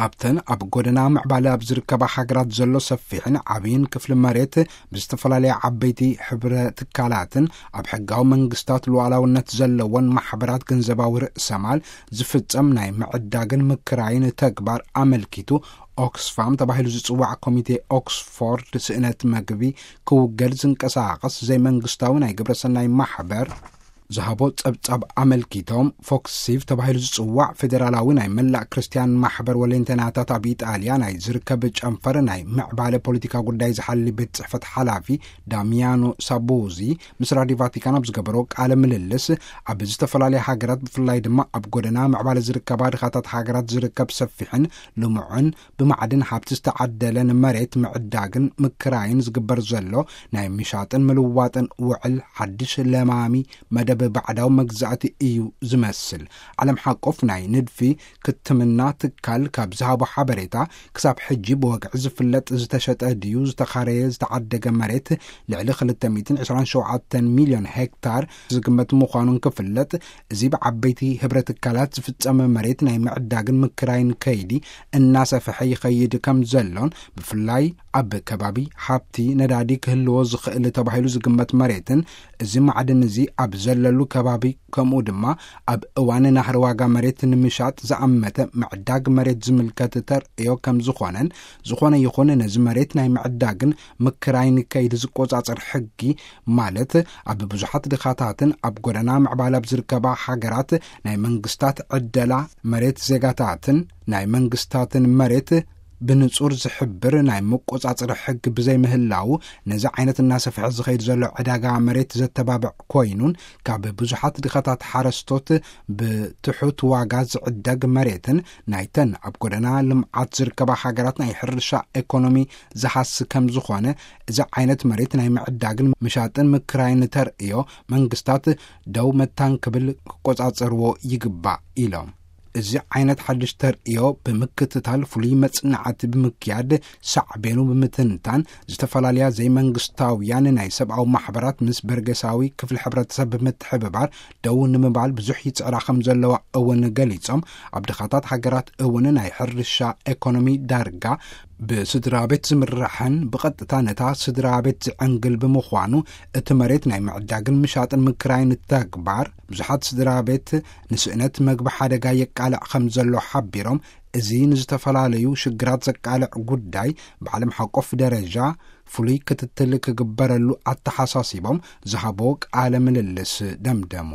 ኣብተን ኣብ ጎደና ምዕባለ ኣብ ዝርከባ ሃገራት ዘሎ ሰፊሕን ዓብይን ክፍሊ መሬት ብዝተፈላለያ ዓበይቲ ሕብረ ትካላትን ኣብ ሕጋዊ መንግስታት ሉዓላውነት ዘለዎን ማሕበራት ገንዘባዊ ርእሰማል ዝፍጸም ናይ ምዕዳግን ምክራይን ተግባር ኣመልኪቱ፣ ኦክስፋም ተባሂሉ ዝጽዋዕ ኮሚቴ ኦክስፎርድ ስእነት መግቢ ክውገድ ዝንቀሳቐስ ዘይመንግስታዊ ናይ ግብረሰናይ ማሕበር ዝሃቦ ጸብጻብ ኣመልኪቶም፣ ፎክሲቭ ተባሂሉ ዝጽዋዕ ፌዴራላዊ ናይ መላእ ክርስትያን ማሕበር ወሌንተናታት ኣብ ኢጣልያ ናይ ዝርከብ ጨንፈር ናይ ምዕባለ ፖለቲካ ጉዳይ ዝሓሊ ቤት ጽሕፈት ሓላፊ ዳሚያኖ ሳቡዚ ምስ ራዲዮ ቫቲካን ኣብ ዝገበሮ ቃለ ምልልስ፣ ኣብ ዝተፈላለያ ሃገራት ብፍላይ ድማ ኣብ ጎደና ምዕባለ ዝርከባ ድኻታት ሃገራት ዝርከብ ሰፊሕን ልሙዕን ብማዕድን ሃብቲ ዝተዓደለን መሬት ምዕዳግን ምክራይን ዝግበር ዘሎ ናይ ምሻጥን ምልዋጥን ውዕል ሓድሽ ለማሚ መደብ ባዕዳዊ መግዛእቲ እዩ ዝመስል። ዓለም ሓቆፍ ናይ ንድፊ ክትምና ትካል ካብ ዝሃቦ ሓበሬታ፣ ክሳብ ሕጂ ብወግዒ ዝፍለጥ ዝተሸጠ ድዩ ዝተኻረየ ዝተዓደገ መሬት ልዕሊ ክልተ ሚእትን ዕስራን ሸውዓተን ሚልዮን ሄክታር ዝግመት ምዃኑን ክፍለጥ፣ እዚ ብዓበይቲ ህብረ ትካላት ዝፍጸመ መሬት ናይ ምዕዳግን ምክራይን ከይዲ እናሰፍሐ ይኸይድ ከም ዘሎን፣ ብፍላይ ኣብ ከባቢ ሃብቲ ነዳዲ ክህልዎ ዝኽእል ተባሂሉ ዝግመት መሬትን፣ እዚ ማዕድን እዚ ኣብ ዘለሉ ከባቢ፣ ከምኡ ድማ ኣብ እዋን ናህሪ ዋጋ መሬት ንምሻጥ ዝኣመተ ምዕዳግ መሬት ዝምልከት ተርእዮ ከም ዝኾነን፣ ዝኾነ ይኹን ነዚ መሬት ናይ ምዕዳግን ምክራይን ከይዲ ዝቆጻጸር ሕጊ፣ ማለት ኣብ ብዙሓት ድኻታትን ኣብ ጎደና ምዕባለ ኣብ ዝርከባ ሃገራት ናይ መንግስታት ዕደላ መሬት ዜጋታትን ናይ መንግስታትን መሬት ብንጹር ዝሕብር ናይ መቆጻጸሪ ሕጊ ብዘይምህላው፣ ነዚ ዓይነት እናሰፍሐ ዝኸይድ ዘሎ ዕዳጋ መሬት ዘተባብዕ ኮይኑን፣ ካብ ብዙሓት ድኻታት ሓረስቶት ብትሑት ዋጋ ዝዕደግ መሬትን ናይተን ኣብ ጎደና ልምዓት ዝርከባ ሃገራት ናይ ሕርሻ ኤኮኖሚ ዝሃሲ ከም ዝኾነ፣ እዚ ዓይነት መሬት ናይ ምዕዳግን ምሻጥን ምክራይን ተርእዮ መንግስታት ደው መታን ክብል ክቆጻጸርዎ ይግባእ ኢሎም። እዚ ዓይነት ሓድሽ ተርእዮ ብምክትታል፣ ፍሉይ መጽናዕቲ ብምክያድ፣ ሳዕቤኑ ብምትንታን፣ ዝተፈላለያ ዘይመንግስታውያን ናይ ሰብኣዊ ማሕበራት ምስ በርገሳዊ ክፍሊ ሕብረተሰብ ብምትሕብባር ደው ንምባል ብዙሕ ይጽዕራ ከም ዘለዋ እውን ገሊጾም፣ ኣብ ድኻታት ሃገራት እውን ናይ ሕርሻ ኤኮኖሚ ዳርጋ ብስድራ ቤት ዝምራሕን ብቐጥታ ነታ ስድራ ቤት ዝዕንግል ብምዃኑ፣ እቲ መሬት ናይ ምዕዳግን ምሻጥን ምክራይን ተግባር ብዙሓት ስድራ ቤት ንስእነት መግቢ ሓደጋ የቃልዕ ከም ዘሎ ሓቢሮም፣ እዚ ንዝተፈላለዩ ሽግራት ዘቃልዕ ጉዳይ ብዓለም ሓቆፍ ደረጃ ፍሉይ ክትትል ክግበረሉ ኣተሓሳሲቦም ዝሃቦ ቃለ ምልልስ ደምደሙ።